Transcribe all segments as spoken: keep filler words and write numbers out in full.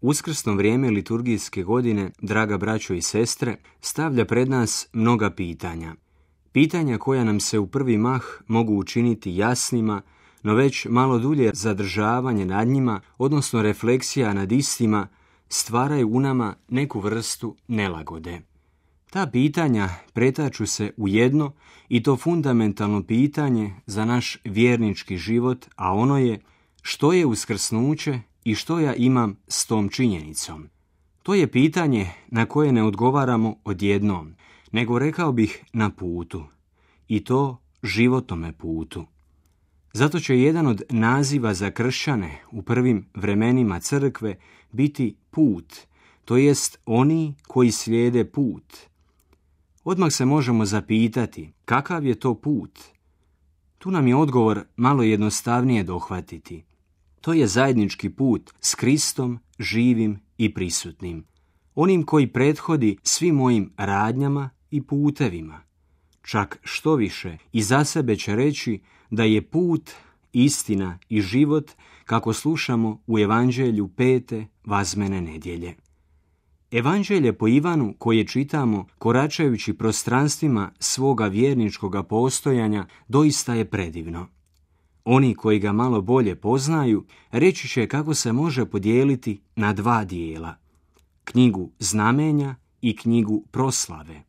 Uskrsno vrijeme liturgijske godine, draga braćo i sestre, stavlja pred nas mnoga pitanja. Pitanja koja nam se u prvi mah mogu učiniti jasnima, no već malo dulje zadržavanje nad njima, odnosno refleksija nad istima, stvaraju u nama neku vrstu nelagode. Ta pitanja pretaču se u jedno i to fundamentalno pitanje za naš vjernički život, a ono je što je uskrsnuće i što ja imam s tom činjenicom. To je pitanje na koje ne odgovaramo odjednom, nego rekao bih na putu, i to životome putu. Zato će jedan od naziva za kršćane u prvim vremenima crkve biti put, to jest oni koji slijede put. Odmah se možemo zapitati kakav je to put. Tu nam je odgovor malo jednostavnije dohvatiti. To je zajednički put s Kristom živim i prisutnim, onim koji prethodi svim mojim radnjama i putevima. Čak što više i za sebe će reći da je put, istina i život kako slušamo u Evanđelju pete vazmene nedjelje. Evanđelje po Ivanu koje čitamo koračajući prostranstvima svoga vjerničkoga postojanja doista je predivno. Oni koji ga malo bolje poznaju reći će kako se može podijeliti na dva dijela, knjigu znamenja i knjigu proslave.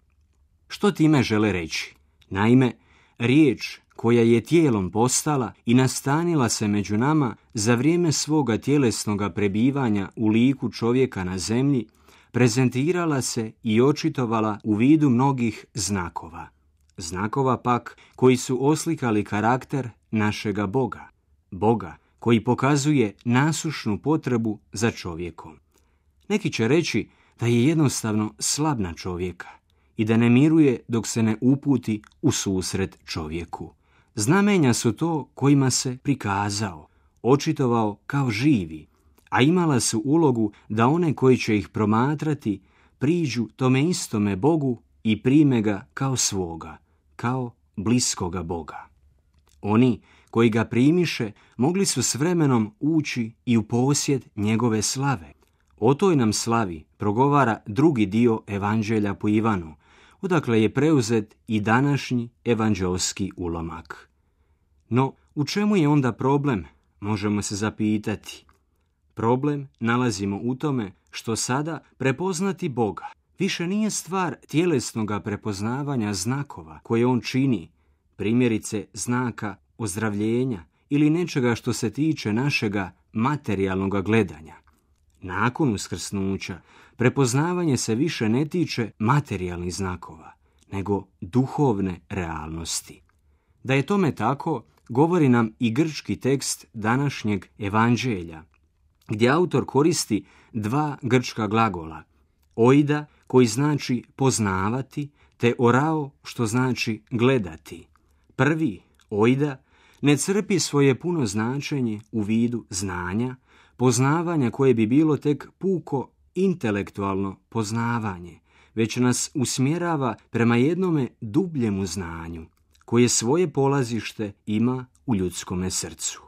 Što time žele reći? Naime, riječ koja je tijelom postala i nastanila se među nama za vrijeme svoga tjelesnoga prebivanja u liku čovjeka na zemlji, prezentirala se i očitovala u vidu mnogih znakova. Znakova pak koji su oslikali karakter našega Boga. Boga koji pokazuje nasušnu potrebu za čovjekom. Neki će reći da je jednostavno slab na čovjeka i da ne miruje dok se ne uputi u susret čovjeku. Znamenja su to kojima se prikazao, očitovao kao živi, a imala su ulogu da one koji će ih promatrati priđu tome istome Bogu i prime ga kao svoga, kao bliskoga Boga. Oni koji ga primiše mogli su s vremenom ući i u posjed njegove slave. O toj nam slavi progovara drugi dio Evanđelja po Ivanu, odakle je preuzet i današnji evanđelski ulomak. No, u čemu je onda problem, možemo se zapitati. Problem nalazimo u tome što sada prepoznati Boga više nije stvar tjelesnoga prepoznavanja znakova koje on čini, primjerice znaka ozdravljenja ili nečega što se tiče našega materijalnog gledanja. Nakon uskrsnuća prepoznavanje se više ne tiče materijalnih znakova, nego duhovne realnosti. Da je tome tako, govori nam i grčki tekst današnjeg evanđelja, gdje autor koristi dva grčka glagola, oida koji znači poznavati, te orao što znači gledati. Prvi, oida, ne crpi svoje puno značenje u vidu znanja, poznavanja koje bi bilo tek puko intelektualno poznavanje, već nas usmjerava prema jednome dubljemu znanju, koje svoje polazište ima u ljudskome srcu.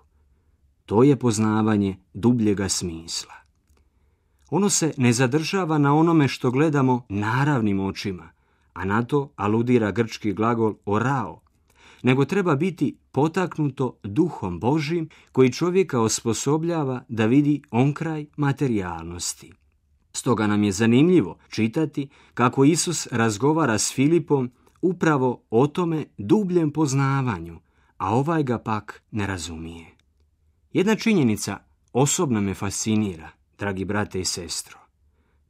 To je poznavanje dubljega smisla. Ono se ne zadržava na onome što gledamo naravnim očima, a na to aludira grčki glagol orao, nego treba biti potaknuto duhom Božjim koji čovjeka osposobljava da vidi onkraj materijalnosti. Stoga nam je zanimljivo čitati kako Isus razgovara s Filipom upravo o tome dubljem poznavanju, a ovaj ga pak ne razumije. Jedna činjenica osobno me fascinira, dragi brate i sestro.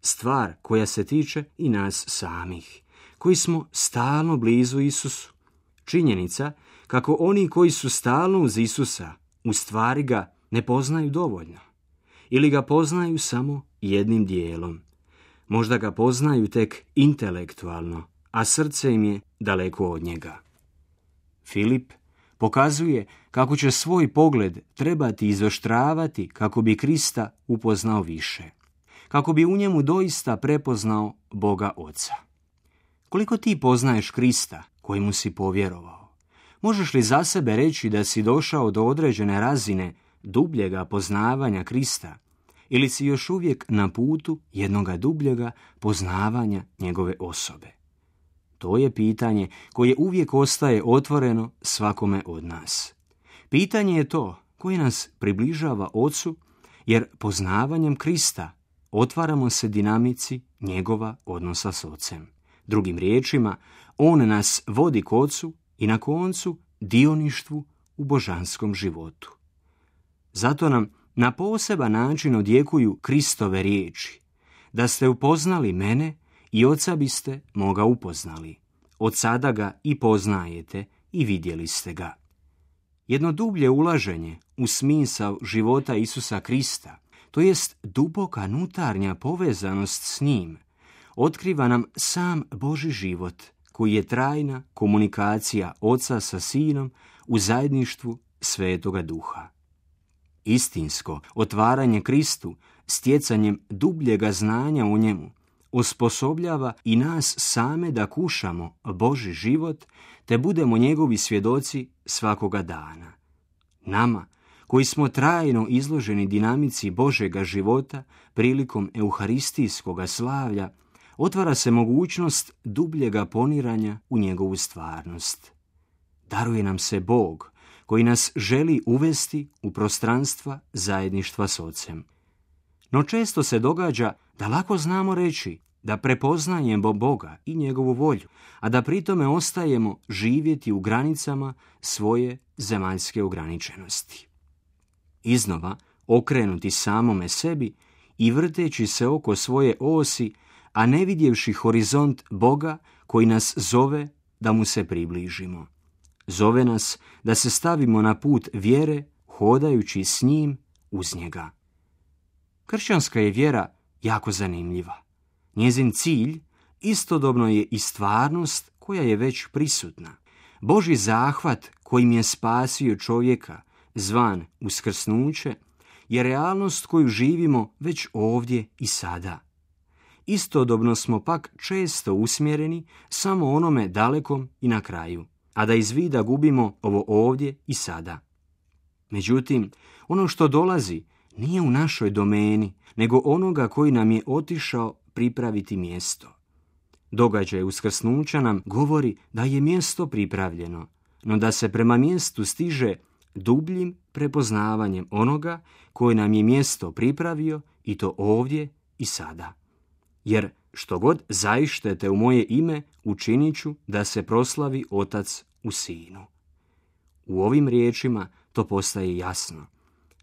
Stvar koja se tiče i nas samih, koji smo stalno blizu Isusu. Činjenica kako oni koji su stalno uz Isusa u stvari ga ne poznaju dovoljno. Ili ga poznaju samo jednim dijelom. Možda ga poznaju tek intelektualno, a srce im je daleko od njega. Filip pokazuje kako će svoj pogled trebati izoštravati kako bi Krista upoznao više, kako bi u njemu doista prepoznao Boga Oca. Koliko ti poznaješ Krista kojemu si povjerovao? Možeš li za sebe reći da si došao do određene razine dubljega poznavanja Krista ili si još uvijek na putu jednoga dubljega poznavanja njegove osobe? To je pitanje koje uvijek ostaje otvoreno svakome od nas. Pitanje je to koje nas približava Ocu, jer poznavanjem Krista otvaramo se dinamici njegova odnosa s Ocem. Drugim riječima, on nas vodi k Ocu i na koncu dioništvu u božanskom životu. Zato nam na poseban način odjekuju Kristove riječi: da ste upoznali mene i Oca biste moga upoznali. Od sada ga i poznajete i vidjeli ste ga. Jedno dublje ulaženje u smisao života Isusa Krista, to jest duboka unutarnja povezanost s njim, otkriva nam sam Božji život, koji je trajna komunikacija Oca sa Sinom u zajedništvu Svetoga Duha. Istinsko otvaranje Kristu stjecanjem dubljega znanja u njemu osposobljava i nas same da kušamo Božji život te budemo njegovi svjedoci svakoga dana. Nama, koji smo trajno izloženi dinamici Božjega života prilikom euharistijskoga slavlja, otvara se mogućnost dubljega poniranja u njegovu stvarnost. Daruje nam se Bog, koji nas želi uvesti u prostranstva zajedništva s Ocem. No često se događa da lako znamo reći da prepoznajemo Boga i njegovu volju, a da pritome ostajemo živjeti u granicama svoje zemaljske ograničenosti. Iznova okrenuti samome sebi i vrteći se oko svoje osi, a ne vidjevši horizont Boga koji nas zove da mu se približimo. Zove nas da se stavimo na put vjere, hodajući s njim uz njega. Kršćanska je vjera jako zanimljiva. Njezin cilj istodobno je i stvarnost koja je već prisutna. Božji zahvat kojim je spasio čovjeka, zvan uskrsnuće, je realnost koju živimo već ovdje i sada. Istodobno smo pak često usmjereni samo onome dalekom i na kraju, a da iz vida gubimo ovo ovdje i sada. Međutim, ono što dolazi nije u našoj domeni, nego onoga koji nam je otišao pripraviti mjesto. Događaj uskrsnuća nam govori da je mjesto pripravljeno, no da se prema mjestu stiže dubljim prepoznavanjem onoga koji nam je mjesto pripravio, i to ovdje i sada. Jer što god zaištete u moje ime, učinit ću da se proslavi Otac u Sinu. U ovim riječima to postaje jasno,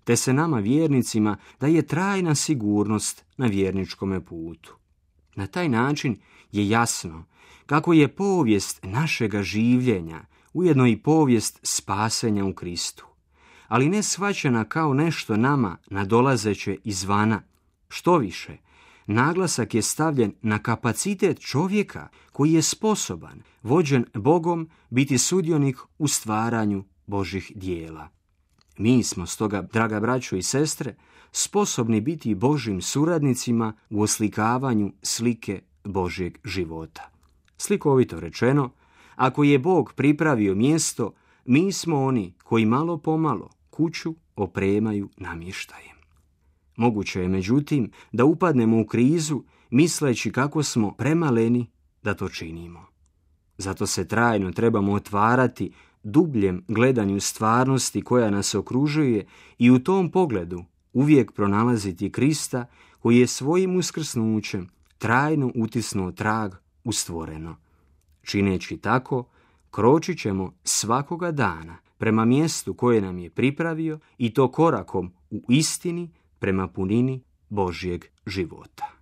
te se nama vjernicima daje trajna sigurnost na vjerničkome putu. Na taj način je jasno kako je povijest našega življenja ujedno i povijest spasenja u Kristu, ali ne shvaćena kao nešto nama nadolazeće izvana. Što više, naglasak je stavljen na kapacitet čovjeka koji je sposoban, vođen Bogom, biti sudionik u stvaranju Božjih dijela. Mi smo stoga, draga braćo i sestre, sposobni biti Božjim suradnicima u oslikavanju slike Božjeg života. Slikovito rečeno, ako je Bog pripravio mjesto, mi smo oni koji malo pomalo kuću opremaju namještajem. Moguće je, međutim, da upadnemo u krizu misleći kako smo premaleni da to činimo. Zato se trajno trebamo otvarati dubljem gledanju stvarnosti koja nas okružuje i u tom pogledu uvijek pronalaziti Krista koji je svojim uskrsnućem trajno utisnuo trag u stvoreno. Čineći tako, kročit ćemo svakoga dana prema mjestu koje nam je pripravio, i to korakom u istini prema punini Božjeg života.